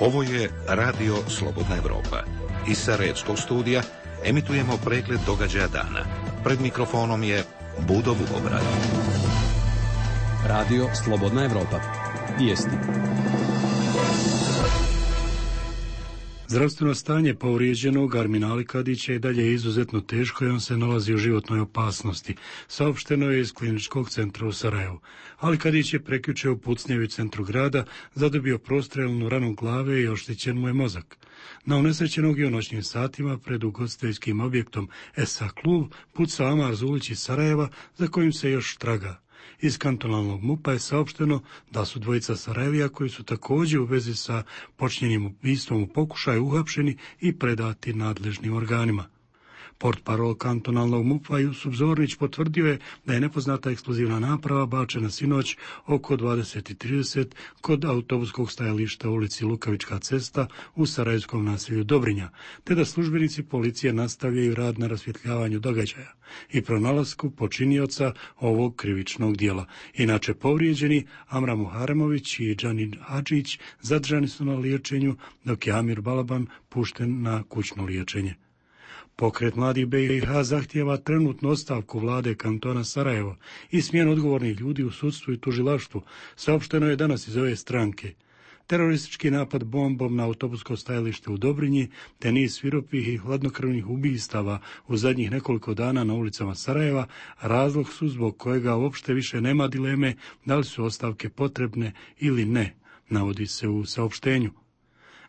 Ovo je Radio Slobodna Evropa. Iz Sarajevskog studija emitujemo pregled događaja dana. Pred mikrofonom je Budo Vukobrad. Radio Slobodna Evropa. Vijesti. Zdravstveno stanje povrijeđenog Armina Alikadića i dalje je izuzetno teško i on se nalazi u životnoj opasnosti. Saopšteno je iz kliničkog centra u Sarajevu. Alikadić je prekjuče u pucnjevi u centru grada zadobio prostrelnu ranu glave i oštećen mu je mozak. Na unesrećenog je u noćnim satima pred ugostiteljskim objektom SA klub pucao Amar Zulić iz Sarajeva, za kojim se još traga. Iz kantonalnog MUP-a je saopšteno da su dvojica Sarajevija koji su također u vezi sa počinjenim ubistvom u pokušaju uhapšeni i predati nadležnim organima. Portparol kantonalnog MUP-a Jusuf Zornić potvrdio je da je nepoznata eksplozivna naprava bačena sinoć oko 20:30 kod autobuskog stajališta u ulici Lukavička cesta u sarajevskom naselju Dobrinja, te da službenici policije nastavljaju rad na rasvjetljavanju događaja i pronalasku počinioca ovog krivičnog djela. Inače povrijeđeni Amra Muharemović i Džanin Hadžić zadržani su na liječenju, dok je Amir Balaban pušten na kućno liječenje. Pokret mladih BiH zahtijeva trenutnu ostavku vlade kantona Sarajevo i smjenu odgovornih ljudi u sudstvu i tužilaštvu, saopšteno je danas iz ove stranke. Teroristički napad bombom na autobusko stajalište u Dobrinji, te niz svirupih i hladnokrvnih ubistava u zadnjih nekoliko dana na ulicama Sarajeva, razlog su zbog kojega uopšte više nema dileme da li su ostavke potrebne ili ne, navodi se u saopštenju.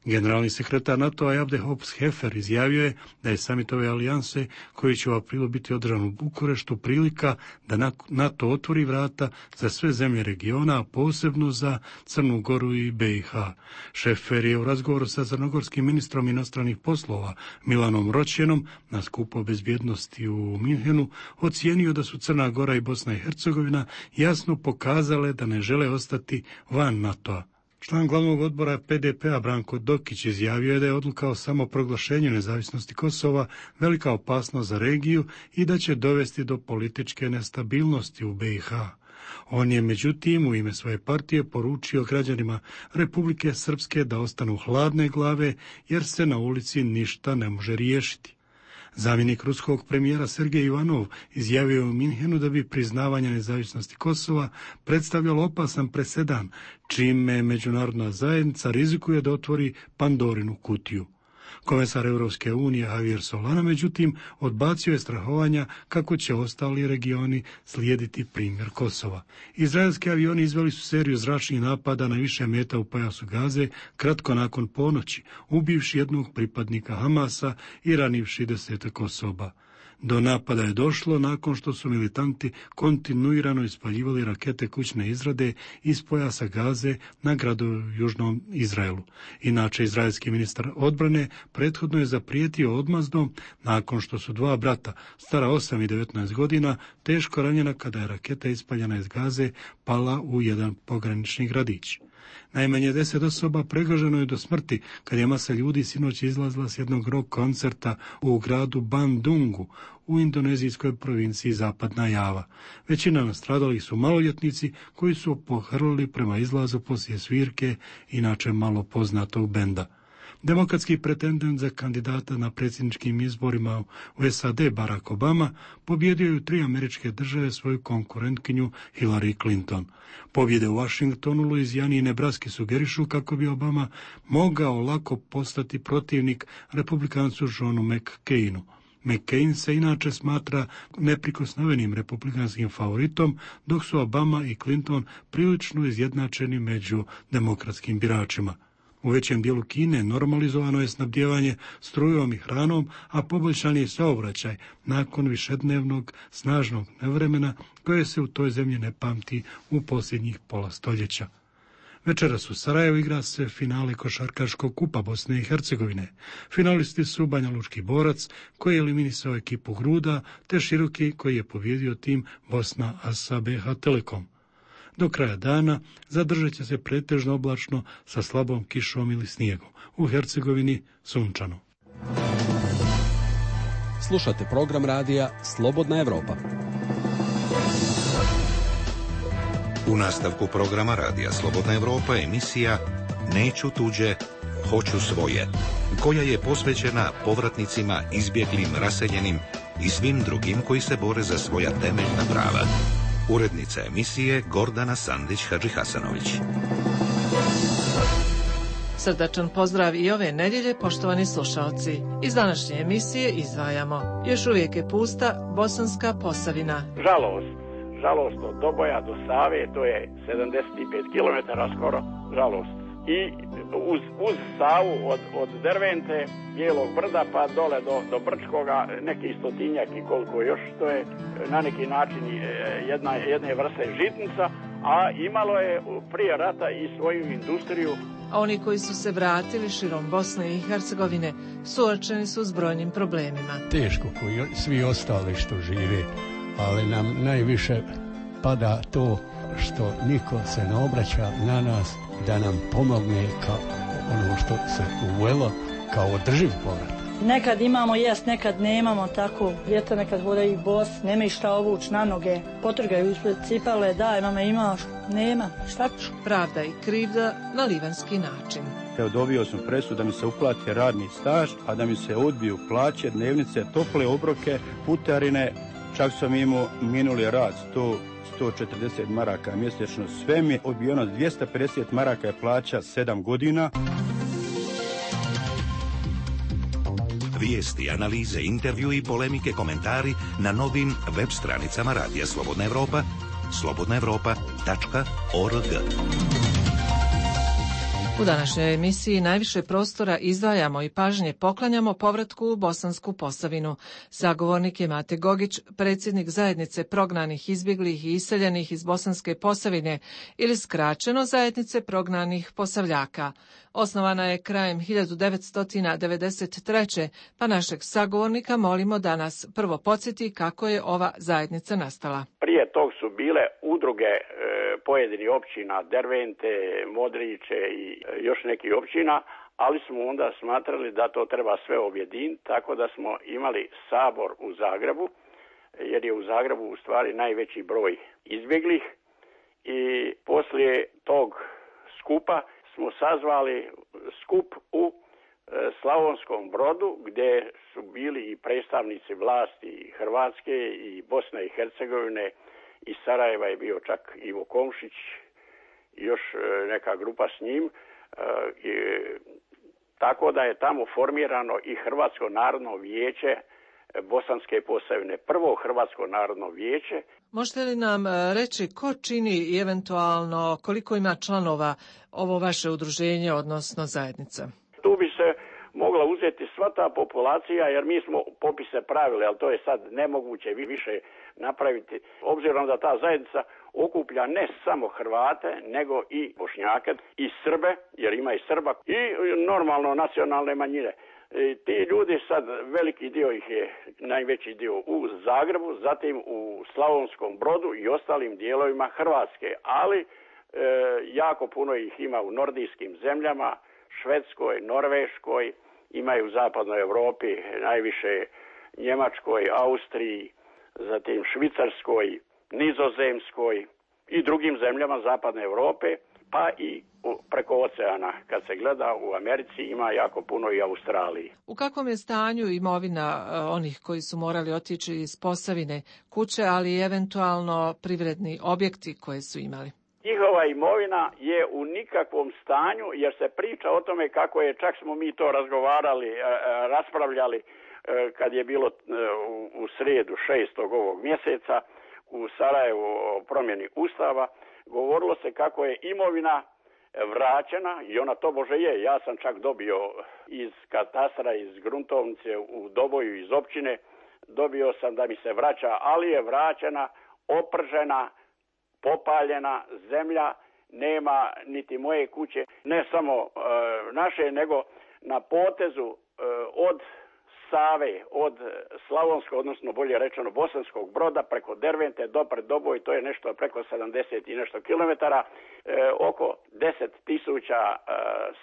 Generalni sekretar NATO-a Abdel Hefer izjavio je da je samit ove alijanse, koji će u aprilu biti održan u Bukureštu, prilika da NATO otvori vrata za sve zemlje regiona, a posebno za Crnu Goru i BiH. Hefer je u razgovoru sa crnogorskim ministrom inostranih poslova Milanom Roćenom na skupu o bezbjednosti u Minhenu ocijenio da su Crna Gora i Bosna i Hercegovina jasno pokazale da ne žele ostati van NATO-a. Član glavnog odbora PDP-a Branko Dokić izjavio je da je odluka o samoproglašenju nezavisnosti Kosova velika opasnost za regiju i da će dovesti do političke nestabilnosti u BiH. On je međutim u ime svoje partije poručio građanima Republike Srpske da ostanu hladne glave jer se na ulici ništa ne može riješiti. Zamjenik ruskog premijera Sergej Ivanov izjavio u Minhenu da bi priznavanje nezavisnosti Kosova predstavljalo opasan presedan, čime međunarodna zajednica rizikuje da otvori Pandorinu kutiju. Komesar Europske unije Javier Solana međutim odbacio je strahovanja kako će ostali regioni slijediti primjer Kosova. Izraelski avioni izveli su seriju zračnih napada na više meta u pojasu Gaze kratko nakon ponoći, ubivši jednog pripadnika Hamasa i ranivši 10 osoba. Do napada je došlo nakon što su militanti kontinuirano ispaljivali rakete kućne izrade iz pojasa Gaze na gradove u južnom Izraelu. Inače, izraelski ministar odbrane prethodno je zaprijetio odmazdom nakon što su dva brata, stara 8 i 19 godina, teško ranjena kada je raketa ispaljena iz Gaze pala u jedan pogranični gradić. Najmanje 10 osoba pregaženo je do smrti kad je masa ljudi sinoć izlazila s jednog rock koncerta u gradu Bandungu u indonezijskoj provinciji Zapadna Java. Većina nastradalih su maloljetnici koji su pohrlili prema izlazu poslije svirke, inače malo poznatog benda. Demokratski pretendent za kandidata na predsjedničkim izborima u SAD Barack Obama pobjedio je u 3 američke države svoju konkurentkinju Hillary Clinton. Pobjede u Washingtonu, Luizijani i Nebraski sugerišu kako bi Obama mogao lako postati protivnik republikancu Johnu McCainu. McCain se inače smatra neprikosnovenim republikanskim favoritom, dok su Obama i Clinton prilično izjednačeni među demokratskim biračima. U većem dijelu Kine normalizovano je snabdijevanje strujom i hranom, a poboljšan je saobraćaj nakon višednevnog snažnog nevremena koje se u toj zemlji ne pamti u posljednjih pola stoljeća. Večeras u Sarajevu igra se finale košarkaškog kupa Bosne i Hercegovine. Finalisti su Banjalučki Borac koji je eliminisao ekipu Gruda, te Široki koji je pobjedio tim Bosna Asa BH Telekom. Do kraja dana zadržat će se pretežno oblačno sa slabom kišom ili snijegom. U Hercegovini sunčano. Slušate program radija Slobodna Evropa. U nastavku programa radija Slobodna Evropa emisija Neću tuđe, hoću svoje, koja je posvećena povratnicima, izbjeglim, raseljenim i svim drugim koji se bore za svoja temeljna prava. Urednica emisije Gordana Sandić-Hadžihasanović. Srdačan pozdrav i ove nedjelje, poštovani slušalci. Iz današnje emisije izdvajamo. Još uvijek je pusta Bosanska Posavina. Žalost od Doboja do Save, to je 75 km skoro, žalost. I uz Savu od Dervente, Bijelog brda pa dole do Brčkoga, neki stotinjak i koliko još, to je na neki način jedne vrste žitnica, a imalo je prije rata i svoju industriju. A oni koji su se vratili širom Bosne i Hercegovine suočeni su s brojnim problemima. Teško koji svi ostali što žive, ali nam najviše pada to što niko se ne obraća na nas da nam pomogne kao ono što se uvelo kao održiv povrat. Nekad imamo jest, nekad nemamo, tako djeca nekad hodaju i bos, nemaju šta ovući na noge, potrgaju ispred cipale, daj mame imaš, nema, šta ću? Pravda i krivda na livanski način. Evo, dobio sam presudu da mi se uplati radni staž, a da mi se odbiju plaće, dnevnice, tople obroke, putarine, čak sam imao minuli rad 140 maraka mjesečno, sve mi je odbijeno, 250 maraka je plaća 7 godina. Vijesti, analize, intervju i polemike, komentari na novim web stranicama Radija Slobodna Evropa, slobodnaevropa.org. U današnjoj emisiji najviše prostora izdvajamo i pažnje poklanjamo povratku u Bosansku Posavinu. Sagovornik je Mate Gogić, predsjednik zajednice prognanih, izbjeglih i iseljenih iz Bosanske Posavine ili skraćeno zajednice prognanih Posavljaka. Osnovana je krajem 1993. pa našeg sagovornika molimo da nas prvo podsjeti kako je ova zajednica nastala. Prije tog su bile udruge pojedinih općina, Dervente, Modriće i još nekih općina, ali smo onda smatrali da to treba sve objediniti, tako da smo imali sabor u Zagrebu, jer je u Zagrebu u stvari najveći broj izbjeglih, i poslije tog skupa smo sazvali skup u Slavonskom Brodu, gdje su bili i predstavnici vlasti Hrvatske i Bosne i Hercegovine, i Sarajeva je bio čak Ivo Komšić i još neka grupa s njim, tako da je tamo formirano i Hrvatsko narodno vijeće Bosanske Posavine, prvo Hrvatsko narodno vijeće. Možete li nam reći ko čini i eventualno koliko ima članova ovo vaše udruženje, odnosno zajednica? Tu bi se mogla uzeti sva ta populacija, jer mi smo popise pravili, ali to je sad nemoguće više napraviti, obzirom da ta zajednica okuplja ne samo Hrvate, nego i Bošnjake i Srbe, jer ima i Srba, i normalno nacionalne manjine. Ti ljudi sad, veliki dio ih je, najveći dio u Zagrebu, zatim u Slavonskom Brodu i ostalim dijelovima Hrvatske, ali jako puno ih ima u nordijskim zemljama, Švedskoj, Norveškoj, imaju u zapadnoj Europi, najviše Njemačkoj, Austriji, zatim Švicarskoj, Nizozemskoj i drugim zemljama zapadne Europe, pa i preko oceana. Kad se gleda u Americi ima jako puno i Australiji. U kakvom je stanju imovina onih koji su morali otići iz Posavine, kuće, ali i eventualno privredni objekti koje su imali? Njihova imovina je u nikakvom stanju, jer se priča o tome kako je, čak smo mi to razgovarali, raspravljali kad je bilo u srijedu 6. ovog mjeseca u Sarajevu o promjeni Ustava, govorilo se kako je imovina vraćena, i ona tobože je. Ja sam čak dobio iz katastra, iz gruntovnice u Doboju, iz općine, dobio sam da mi se vraća, ali je vraćena, opržena, popaljena zemlja, nema niti moje kuće, ne samo naše, nego na potezu od Save, od Slavonskog, odnosno bolje rečeno Bosanskog Broda, preko Dervente do Predoboj, to je nešto preko 70 i nešto kilometara, oko 10.000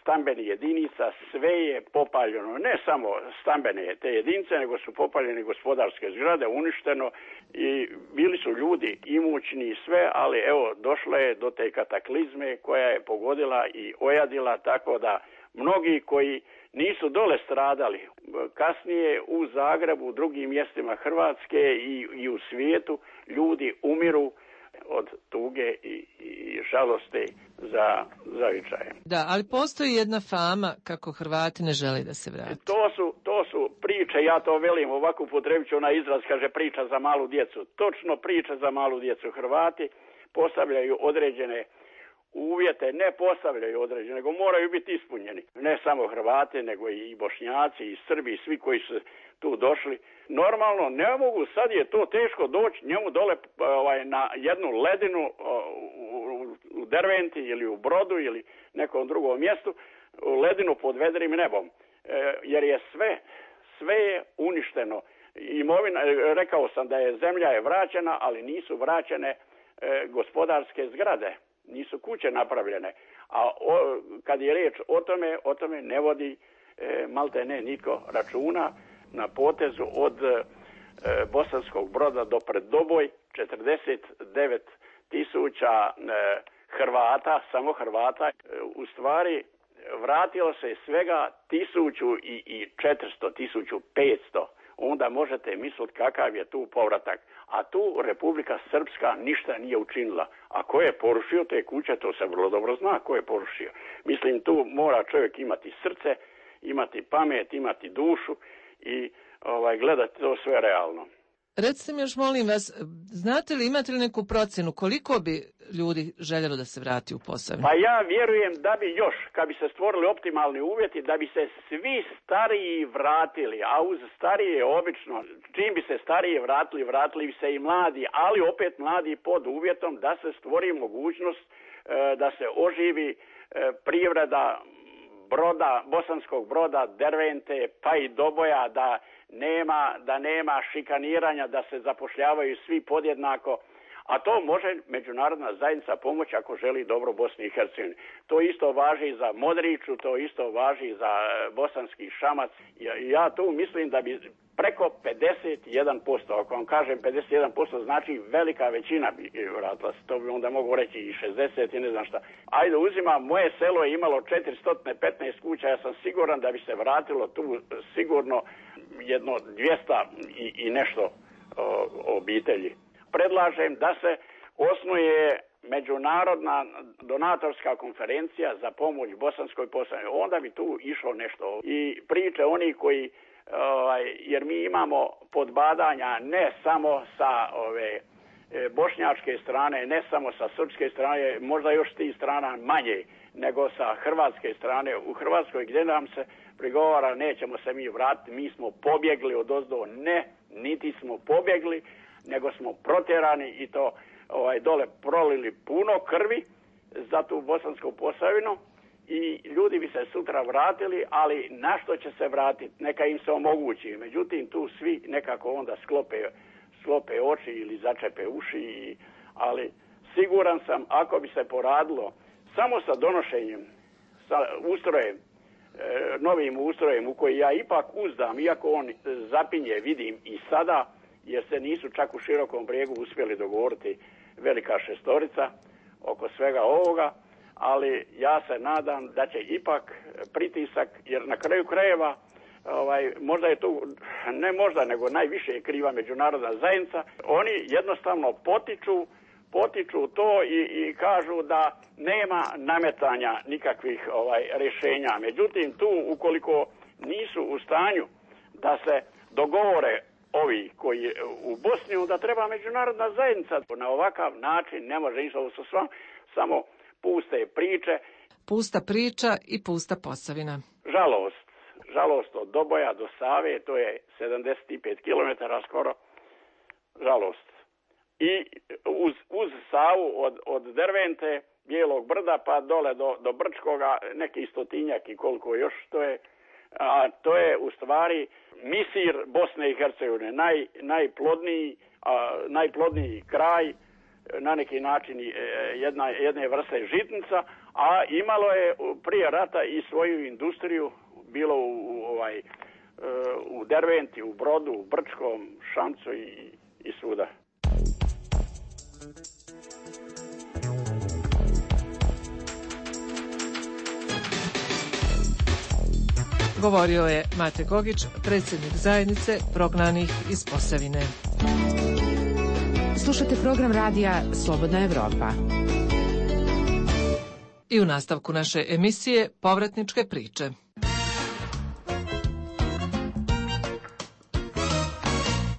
stambenih jedinica, sve je popaljeno, ne samo stambene te jedinice, nego su popaljene gospodarske zgrade, uništeno i bili su ljudi imućni i sve, ali evo, došlo je do te kataklizme koja je pogodila i ojadila, tako da mnogi koji nisu dole stradali, kasnije u Zagrebu, u drugim mjestima Hrvatske i u svijetu, ljudi umiru od tuge i žalosti za zavičajem. Da, ali postoji jedna fama kako Hrvati ne žele da se vrati. To su priče, ja to velim, ovako upotrebit ću onaj izraz, kaže priča za malu djecu. Točno priča za malu djecu. Hrvati postavljaju određene uvjete, ne postavljaju određene, nego moraju biti ispunjeni. Ne samo Hrvati, nego i Bošnjaci, i Srbi, i svi koji su tu došli. Normalno, ne mogu, sad je to teško doći njemu dole na jednu ledinu u Derventi ili u Brodu ili nekom drugom mjestu, ledinu pod vedrim nebom. Jer je sve je uništeno. Imovina, rekao sam da je zemlja je vraćena, ali nisu vraćene gospodarske zgrade. Nisu kuće napravljene, a kad je riječ o tome ne vodi malte ne niko računa. Na potezu od Bosanskog Broda do Predoboj 49.000 Hrvata, samo Hrvata, u stvari vratilo se svega 1.400, 1.500. Onda možete misliti kakav je tu povratak. A tu Republika Srpska ništa nije učinila. A ko je porušio te kuće, to se vrlo dobro zna ko je porušio. Mislim, tu mora čovjek imati srce, imati pamet, imati dušu i gledati to sve realno. Recite mi još, molim vas, znate li, imate li neku procjenu koliko bi ljudi željelo da se vrati u Posavinu? Pa ja vjerujem da bi još, kad bi se stvorili optimalni uvjeti, da bi se svi stariji vratili, a uz starije obično, čim bi se starije vratili bi se i mladi, ali opet mladi pod uvjetom da se stvori mogućnost da se oživi privreda Broda, Bosanskog Broda, Dervente, pa i Doboja, da nema šikaniranja, da se zapošljavaju svi podjednako, a to može međunarodna zajednica pomoći ako želi dobro Bosni i Hercegovini. To isto važi za Modriću, to isto važi za Bosanski Šamac. Ja tu mislim da bi preko 51%, ako vam kažem 51%, znači velika većina bi vratila se, to bi onda mogu reći i 60 i ne znam šta. Ajde, uzimam, moje selo je imalo 415 kuća, ja sam siguran da bi se vratilo tu sigurno jedno 200 i nešto obitelji. Predlažem da se osnuje međunarodna donatorska konferencija za pomoć Bosanskoj Posavini. Onda bi tu išlo nešto. I priče oni koji, jer mi imamo podbadanja ne samo sa bošnjačke strane, ne samo sa srpske strane, možda još tih strana manje, nego sa hrvatske strane. U Hrvatskoj gdje nam se prigovara nećemo se mi vratiti, mi smo pobjegli odozdo. Ne, niti smo pobjegli, nego smo protjerani i to dole prolili puno krvi za tu Bosansku Posavinu i ljudi bi se sutra vratili, ali na što će se vratiti? Neka im se omogući. Međutim, tu svi nekako onda sklope oči ili začepe uši, ali siguran sam ako bi se poradilo samo sa donošenjem, sa ustrojem, novim ustrojem u koji ja ipak uzdam, iako on zapinje, vidim i sada, jer se nisu čak u Širokom Brijegu uspjeli dogovoriti velika šestorica oko svega ovoga, ali ja se nadam da će ipak pritisak, jer na kraju krajeva možda je tu, ne možda, nego najviše je kriva međunarodna zajednica, oni jednostavno potiču to i kažu da nema nametanja nikakvih rješenja. Međutim, tu ukoliko nisu u stanju da se dogovore ovi koji u Bosni, onda treba međunarodna zajednica. Na ovakav način ne može ništa, ovo su samo puste priče. Pusta priča i pusta Posavina. Žalost od Doboja do Save, to je 75 km skoro. Žalost. I uz Savu od Dervente, Bijelog Brda pa dole do Brčkoga, neki stotinjak i koliko još, to je a to je u stvari misir Bosne i Hercegovine, najplodniji kraj, na neki način jedne vrste žitnica, a imalo je prije rata i svoju industriju, bilo u Derventi, u Brodu, u Brčkom, Šamcu i svuda. Govorio je Mate Gogić, predsjednik zajednice prognanih iz Posavine. Slušate program radija Slobodna Evropa. I u nastavku naše emisije povratničke priče.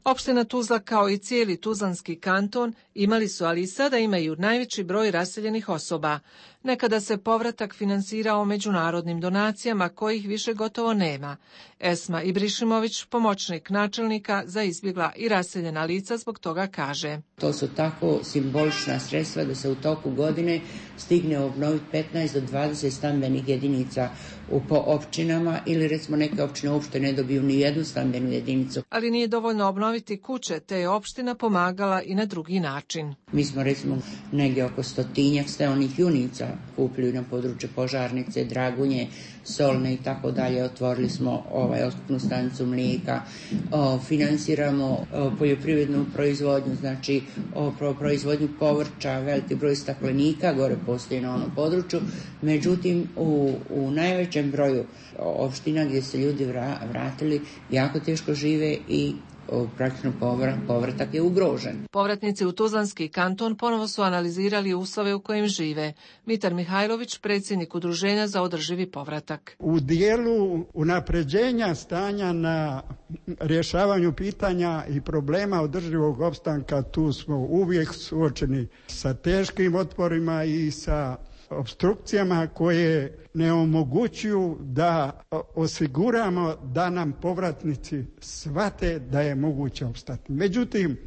Opština Tuzla kao i cijeli Tuzlanski kanton imali su, ali i sada imaju najveći broj raseljenih osoba. Nekada se povratak finansirao međunarodnim donacijama kojih više gotovo nema. Esma Ibrišimović, pomoćnik načelnika za izbjegla i raseljena lica, zbog toga kaže: To su tako simbolična sredstva da se u toku godine stigne obnoviti 15 do 20 stambenih jedinica po općinama, ili recimo neke općine uopšte ne dobiju ni jednu stambenu jedinicu. Ali nije dovoljno obnoviti kuće, te je opština pomagala i na drugi način. Mi smo recimo negdje oko 100 steonih junica kupili na području Požarnice, Dragunje, Solne i tako dalje. Otvorili smo otkupnu stanicu mlijeka, finansiramo poljoprivrednu proizvodnju, znači proizvodnju povrća, veliki broj staklenika gore postoji na onom području. Međutim, u najvećem broju opština gdje se ljudi vratili jako teško žive i praktično povratak je ugrožen. Povratnici u Tuzlanski kanton ponovo su analizirali uslove u kojim žive. Mitar Mihajlović, predsjednik Udruženja za održivi povratak. U dijelu unapređenja stanja na rješavanju pitanja i problema održivog opstanka, tu smo uvijek suočeni sa teškim otporima i sa opstrukcijama koje ne omogućuju da osiguramo da nam povratnici shvate da je moguće opstati. Međutim,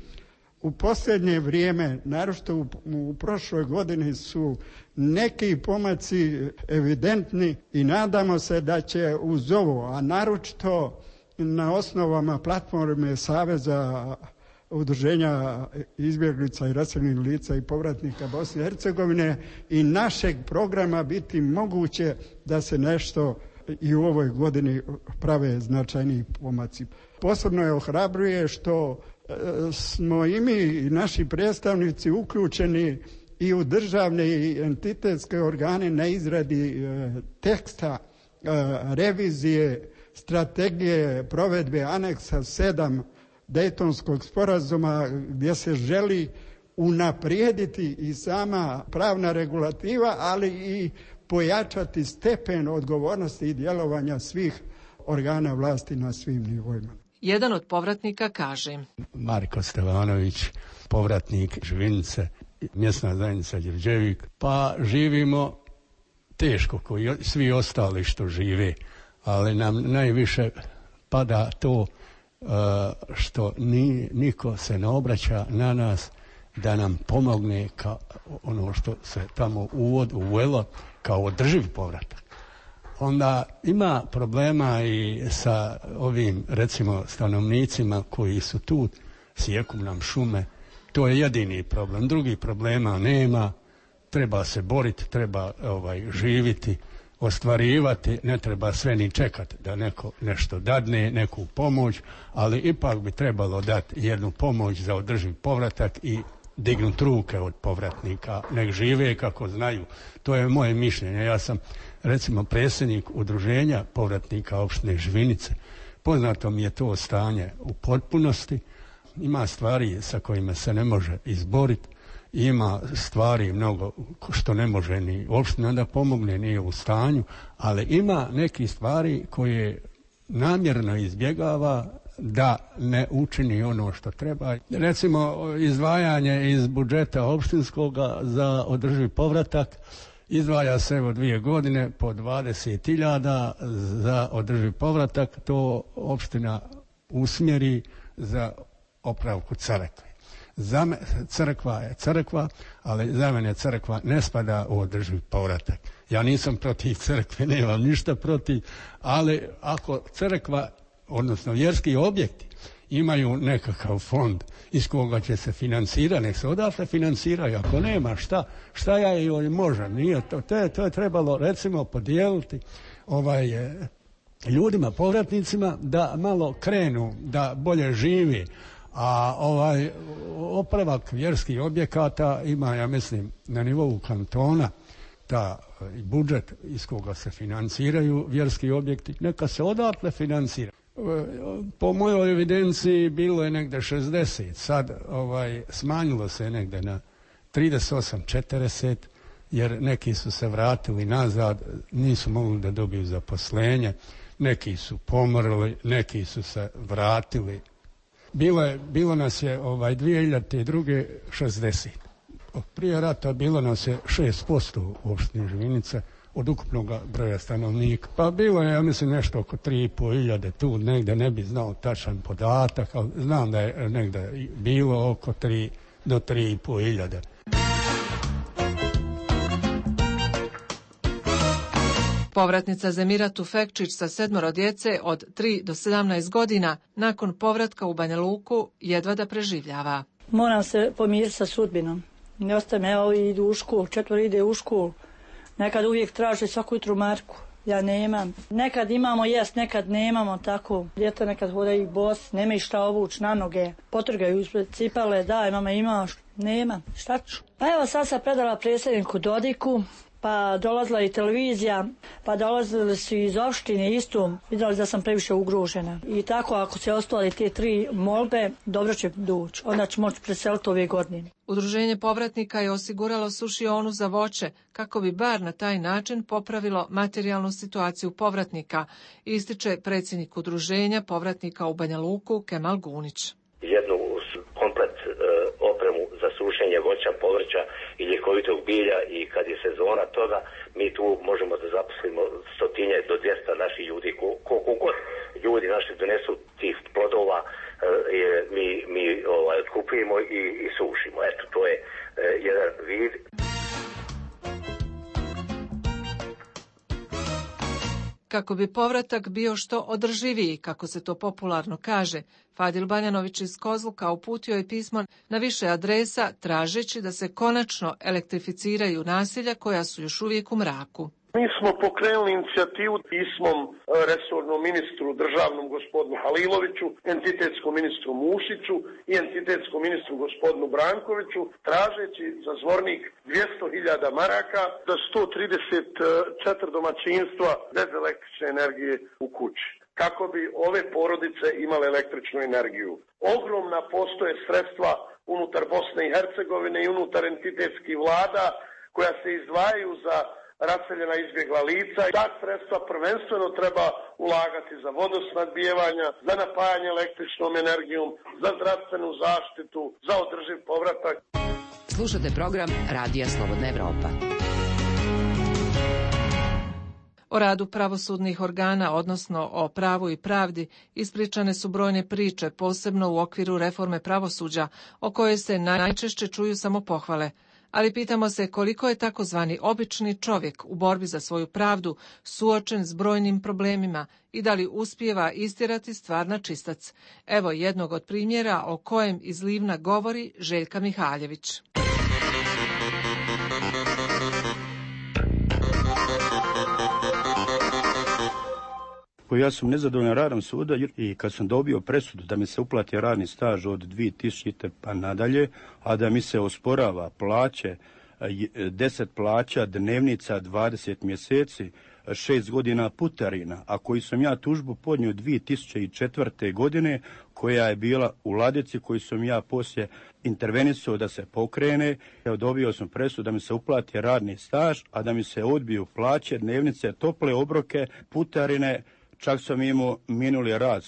u posljednje vrijeme, naročito u prošloj godini, su neki pomaci evidentni i nadamo se da će uz ovo, a naročito na osnovama platforme Saveza Udruženja izbjeglica i raseljenih lica i povratnika Bosne i Hercegovine i našeg programa biti moguće da se nešto i u ovoj godini prave značajniji pomaci. Posebno je ohrabruje što smo i mi i naši predstavnici uključeni i u državne i entitetske organe na izradi teksta revizije strategije provedbe aneksa 7 Dejtonskog sporazuma, gdje se želi unaprijediti i sama pravna regulativa, ali i pojačati stepen odgovornosti i djelovanja svih organa vlasti na svim nivoima. Jedan od povratnika kaže: Marko Stevanović, povratnik Živinice, mjesna zajednica Đurđevik. Pa živimo teško, koji svi ostali što žive, ali nam najviše pada to što niko se ne obraća na nas da nam pomogne kao ono što se tamo uvelo kao održiv povratak. Onda ima problema i sa ovim, recimo, stanovnicima koji su tu, sjeku nam šume. To je jedini problem. Drugih problema nema. Treba se boriti, treba živiti, ostvarivati, ne treba sve ni čekati da neko nešto dadne, neku pomoć, ali ipak bi trebalo dati jednu pomoć za održiv povratak i dignuti ruke od povratnika, nek žive kako znaju. To je moje mišljenje. Ja sam, recimo, predsjednik Udruženja povratnika opštine Živinice. Poznato mi je to stanje u potpunosti. Ima stvari sa kojima se ne može izboriti. Ima stvari mnogo što ne može ni opština da pomogne, nije u stanju, ali ima neki stvari koje namjerno izbjegava da ne učini ono što treba. Recimo, izdvajanje iz budžeta opštinskoga za održivi povratak izdvaja se evo 2 godine po 20.000 za održivi povratak. To opština usmjeri za opravku Crkve. Crkva je crkva, ali za mene crkva ne spada u održiv povratak. Ja nisam protiv crkve, nemam ništa protiv, ali ako crkva, odnosno vjerski objekti, imaju nekakav fond iz koga će se financirati, nek se odatle financiraju. Ako nema, šta ja joj možem? Nije to je trebalo recimo podijeliti ljudima, povratnicima, da malo krenu, da bolje živi. A opravak vjerskih objekata ima, ja mislim, na nivou kantona, ta budžet iz koga se financiraju vjerski objekti, neka se odatle financira. Po mojoj evidenciji bilo je negde 60, sad smanjilo se negde na 38-40, jer neki su se vratili nazad, nisu mogli da dobiju zaposlenje, neki su pomrli, neki su se vratili. Bilo nas je 2002. 60. Prije rata bilo nas je 6% u opštini Živinica od ukupnog broja stanovnika. Pa bilo je, ja mislim, nešto oko 3.500 tu negde, ne bi znao tačan podatak, ali znam da je negde bilo oko 3 do 3.500. Povratnica Zemira Tufekčić sa 7 djece od 3 do 17 godina nakon povratka u Banja Luku jedva da preživljava. Moram se pomiriti sa sudbinom. Ne ostaje me, evo idu u školu, 4 ide u školu. Nekad uvijek traže svaku jutru marku. Ja nemam. Nekad imamo jest, nekad nemamo tako. Djeca nekad hodaju bos, nemaju šta obući na noge. Potrgaju ispred cipale, daj mama imaš. Nema, šta ću? Pa evo sad sam predala predsjedniku Dodiku, pa dolazila i televizija, pa dolazili su iz opštine isto, vidjeli da sam previše ugrožena. I tako ako se ostali te 3 molbe, dobro će doći, onda će moći preseliti ove godine. Udruženje povratnika je osiguralo sušionu za voće, kako bi bar na taj način popravilo materijalnu situaciju povratnika, ističe predsjednik udruženja povratnika u Banja Luku Kemal Gunić. Jednu komplet opremu za sušenje voća, povrća i ljekovitog bilja, i kad je sezona toga, mi tu možemo da zaposlimo 100 do 200 naših ljudi. Koliko god ljudi naši donesu tih plodova, mi kupujemo i sušimo. Eto, to je jedan vid. Kako bi povratak bio što održiviji, kako se to popularno kaže, Fadil Banjanović iz Kozluka uputio je pismo na više adresa tražeći da se konačno elektrificiraju naselja koja su još uvijek u mraku. Mi smo pokrenuli inicijativu pismom resornom ministru državnom gospodinu Haliloviću, entitetskom ministru Mušiću i entitetskom ministru gospodinu Brankoviću, tražeći za Zvornik 200.000 maraka za 134 domaćinstva bez električne energije u kući, kako bi ove porodice imale električnu energiju. Ogromna postoje sredstva unutar Bosne i Hercegovine i unutar entitetskih vlada koja se izdvajaju za raseljena izbjegla lica. Ta sredstva prvenstveno treba ulagati za vodosnabdijevanja, za napajanje električnom energijom, za zdravstvenu zaštitu, za održiv povratak. Slušate program Radija Slobodna Evropa. O radu pravosudnih organa, odnosno o pravu i pravdi, ispričane su brojne priče, posebno u okviru reforme pravosuđa, o kojoj se najčešće čuju samo pohvale. Ali pitamo se koliko je takozvani obični čovjek u borbi za svoju pravdu suočen s brojnim problemima i da li uspijeva istjerati stvar na čistac. Evo jednog od primjera o kojem iz Livna govori Željka Mihaljević. Ja sam nezadovoljan radom suda i kad sam dobio presudu da mi se uplati radni staž od 2000 pa nadalje, a da mi se osporava plaće, 10 plaća, dnevnica, 20 mjeseci, 6 godina putarina, a koji sam ja tužbu podnio 2004. godine, koja je bila u ladici, koju sam ja poslije intervenisao da se pokrene. Dobio sam presudu da mi se uplati radni staž, a da mi se odbiju plaće, dnevnice, tople obroke, putarine. Čak sam imao minuli rad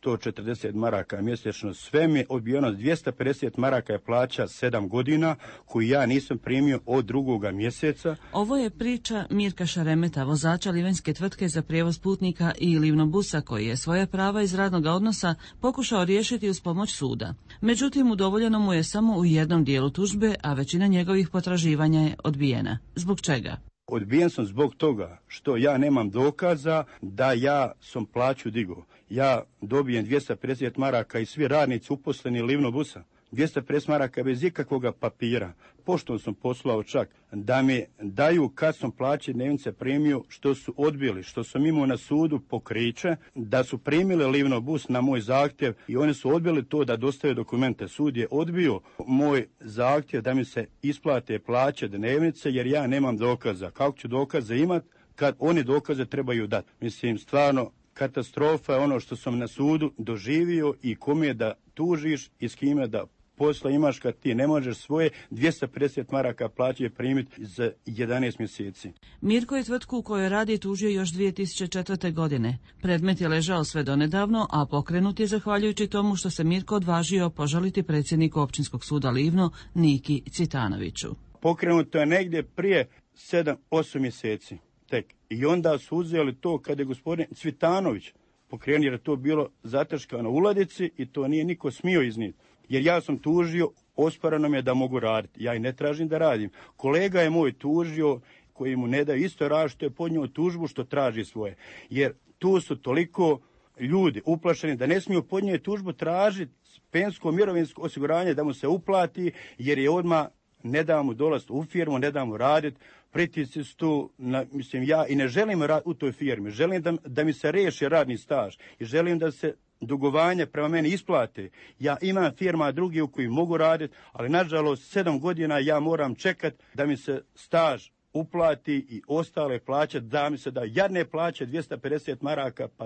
140 maraka mjesečno, sve mi je odbijeno. 250 maraka je plaća 7 godina koju ja nisam primio od 2. mjeseca. Ovo je priča Mirka Šaremeta, vozača livanjske tvrtke za prijevoz putnika i livnobusa, koji je svoja prava iz radnog odnosa pokušao riješiti uz pomoć suda. Međutim, udovoljeno mu je samo u jednom dijelu tužbe, a većina njegovih potraživanja je odbijena. Zbog čega? Odbijen sam zbog toga što ja nemam dokaza da ja sam plaću digao. Ja dobijem 250 maraka i svi radnici uposleni livnobusa. 250 maraka bez ikakvog papira. Pošto sam poslao čak da mi daju kad sam plaće dnevnice primio, što su odbili, što sam imao na sudu pokriće, da su primili livnobus na moj zahtjev i oni su odbili to da dostave dokumente. Sud je odbio moj zahtjev da mi se isplate plaće dnevnice jer ja nemam dokaza. Kako ću dokaze imati kad oni dokaze trebaju dati? Mislim, stvarno katastrofa je ono što sam na sudu doživio i kome da tužiš i s kime da posla imaš kad ti ne možeš svoje 250 maraka plaće primiti za 11 mjeseci. Mirko je tvrtku u kojoj radi tužio još 2004. godine. Predmet je ležao sve donedavno, a pokrenut je zahvaljujući tomu što se Mirko odvažio požaliti predsjedniku Općinskog suda Livno Niki Cvitanoviću. Pokrenuto je negdje prije 7-8 mjeseci tek. I onda su uzeli to kada je gospodin Cvitanović pokrenuo, jer je to bilo zataškano u ladici i to nije niko smio iznijeti. Jer ja sam tužio, osporeno mi je da mogu raditi. Ja i ne tražim da radim. Kolega je moj tužio, koji mu ne daju isto rad, što je podnio tužbu što traži svoje. Jer tu su toliko ljudi uplašeni da ne smiju podnijeti tužbu, tražiti pensko mirovinsko osiguranje da mu se uplati, jer je odmah ne da mu dolaziti u firmu, ne da mu raditi. Pritisci su tu, mislim, ja i ne želim raditi u toj firmi. Želim da mi se riješi radni staž i želim da se dugovanje prema meni isplate. Ja imam firma drugi u koji mogu raditi, ali nažalost 7 godina ja moram čekati da mi se staž uplati i ostale plaće, da mi se da jadne plaće 250 maraka, pa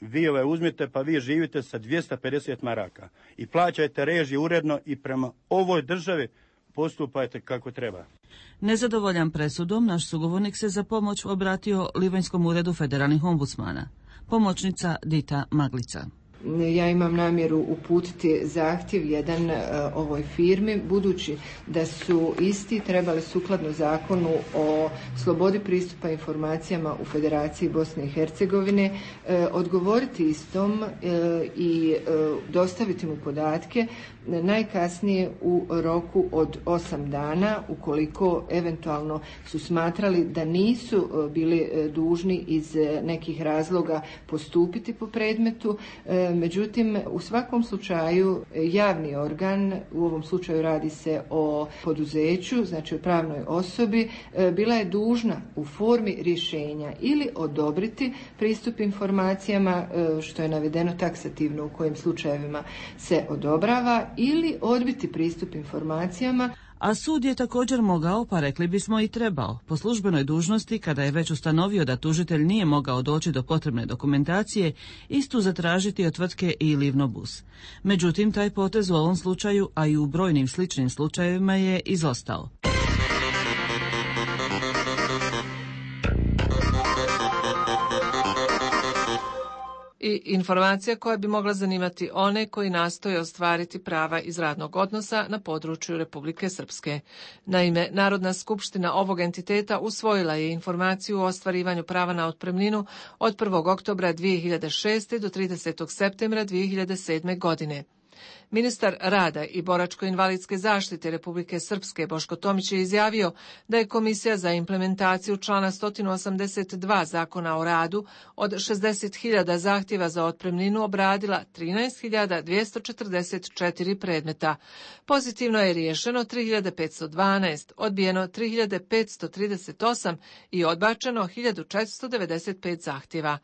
vi uzmite pa vi živite sa 250 maraka i plaćajte režije uredno i prema ovoj državi postupajte kako treba. Nezadovoljan presudom, naš sugovornik se za pomoć obratio Livanjskom uredu federalnih ombudsmana. Pomoćnica Dita Maglica. Ja imam namjeru uputiti zahtjev jedan ovoj firmi, budući da su isti trebali sukladno zakonu o slobodi pristupa informacijama u Federaciji Bosne i Hercegovine odgovoriti istom i dostaviti mu podatke najkasnije u roku od 8 dana, ukoliko eventualno su smatrali da nisu bili dužni iz nekih razloga postupiti po predmetu. Međutim, u svakom slučaju javni organ, u ovom slučaju radi se o poduzeću, znači o pravnoj osobi, bila je dužna u formi rješenja ili odobriti pristup informacijama, što je navedeno taksativno u kojim slučajevima se odobrava, ili odbiti pristup informacijama. A sud je također mogao, pa rekli bismo i trebao, po službenoj dužnosti, kada je već ustanovio da tužitelj nije mogao doći do potrebne dokumentacije, istu zatražiti od tvrtke i Livnobus. Međutim, taj potez u ovom slučaju, a i u brojnim sličnim slučajevima, je izostao. I informacija koja bi mogla zanimati one koji nastoje ostvariti prava iz radnog odnosa na području Republike Srpske. Naime, Narodna skupština ovog entiteta usvojila je informaciju o ostvarivanju prava na otpremninu od 1. oktobra 2006. do 30. septembra 2007. godine. Ministar rada i boračko-invalidske zaštite Republike Srpske Boško Tomić je izjavio da je Komisija za implementaciju člana 182 Zakona o radu od 60.000 zahtjeva za otpremninu obradila 13.244 predmeta. Pozitivno je riješeno 3.512, odbijeno 3.538 i odbačeno 1.495 zahtjeva.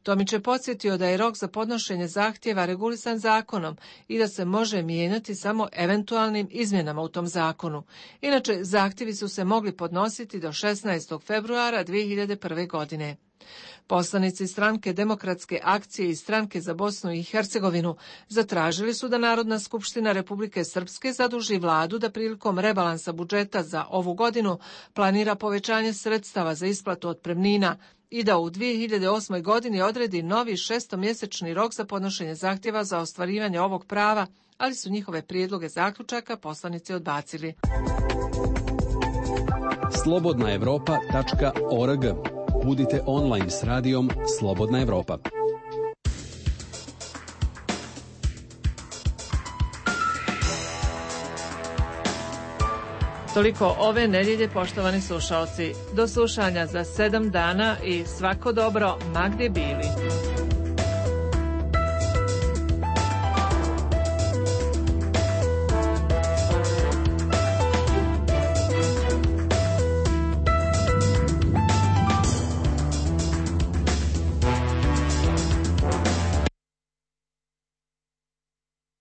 Tomić je podsjetio da je rok za podnošenje zahtjeva regulisan zakonom i da se može mijenjati samo eventualnim izmjenama u tom zakonu. Inače, zahtjevi su se mogli podnositi do 16. februara 2001. godine. Poslanici Stranke demokratske akcije i Stranke za Bosnu i Hercegovinu zatražili su da Narodna skupština Republike Srpske zaduži vladu da prilikom rebalansa budžeta za ovu godinu planira povećanje sredstava za isplatu otpremnina, i da u 2008. godini odredi novi 6-mjesečni rok za podnošenje zahtjeva za ostvarivanje ovog prava, ali su njihove prijedloge zaključaka poslanici odbacili. slobodnaevropa.org. Budite online s radijom Slobodna Evropa. Toliko ove nedjelje, poštovani slušalci. Do slušanja za 7 dana i svako dobro, ma gdje bili.